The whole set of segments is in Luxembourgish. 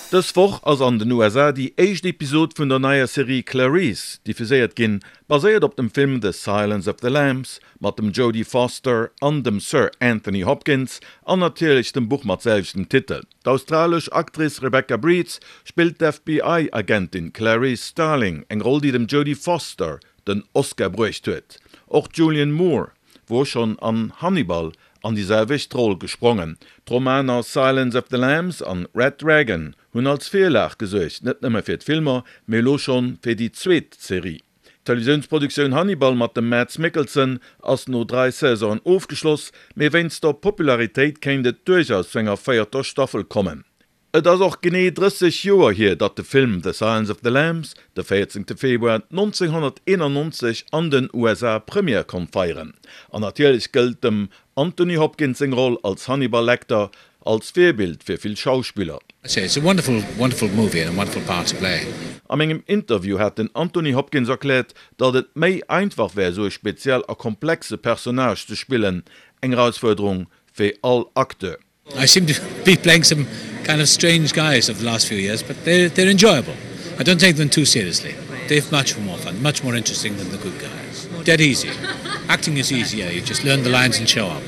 Dës Woch ass an den USA déi éischt Episod vun der neier Serie Clarice diffuséiert ginn, baséiert op dem Film The Silence of the Lambs mat dem Jodie Foster an dem Sir Anthony Hopkins an natierlech dem Buch mat selwechten Titel. D'australesch Actrice Rebecca Breeds spillt d'FBI-Agentin Clarice Starling, eng Roll déi dem Jodie Foster den Oscar bruecht huet. Och d'Julianne Moore wor schonn an Hannibal an déi selwecht Roll gesprongen. D'Romaner Silence of the Lambs an Red Dragon hunn als Virlag gesuergt, net nëmme fir d'Filmer, mee elo schonn fir déi zweet Serie. D'Televisiounsproduktioun Hannibal mat dem Mads Mikkelsen ass no 3 Saisonen ofgeschloss, mee wéinst der Popularitéit kéint et duerchaus zu enger véierter Staffel kommen. Et ass och genee 30 Joer hier, datt de Film The Silence of the Lambs de 14 Februar 1991 an den USA Première konnt feieren. An natierlech gëllt dem Anthony Hopkins seng Roll als Hannibal Lecter als Virbild fir vill Schauspiller. A mengem Interview hat den Anthony Hopkins erkläert, datt et méi einfach wär, esou e speziell a komplexe Personnage ze spillen, eng Erausfuerderung wéi all Acteur. I seem to be playing some kind of strange guys of the last few years, but they're, they're enjoyable. I don't take them too seriously. They're much more fun, much more interesting than the good guys. Dead easy. Acting is easier, you just learn the lines and show up.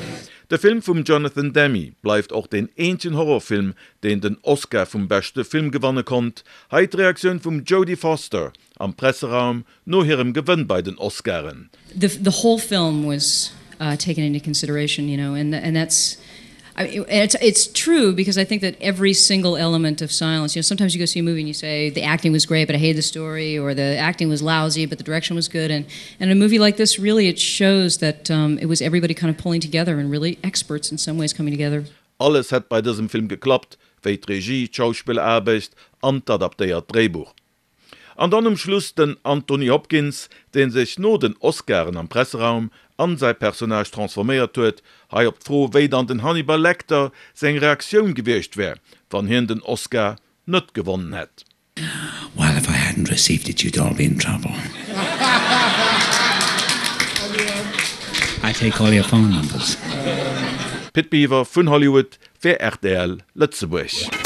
De Film vum Jonathan Demme bleift och deen eenzegen Horrorfilm, deen den Oscar vum beschte Film gewanne konnt. Hei d'Reaktioun vum Jodie Foster am Presseraum No hirem Gewënn bei den Oscaren. The the whole film was uh, taken into consideration, you know, and and that's I mean, it's it's true because I think that every single element of silence, you know, sometimes you go see a movie and you say the acting was great, but I hated the story, or the acting was lousy, but the direction was good. And and a movie like this really it shows that um, it was everybody kind of pulling together and really experts in some ways coming together. Alles hätt bei dësem Film geklappt, wéi d'Regie, d'Schauspilleraarbecht an d'adaptéiert Dréibuch. An dann um Schluss den Anthony Hopkins, dee sech no den Oscaren am Presseraum an säi Personnage transforméiert huet. Hei op d'Fro, wéi dann den Hannibal Lecter seng Reaktioun gewiescht wär, wann hien den Oscar net gewonnen hätt. Well, if I hadn't received it, you'd all be in trouble. I take all your phone numbers. Pit Biwer vun Hollywood fir rtl Lëtzebuerg.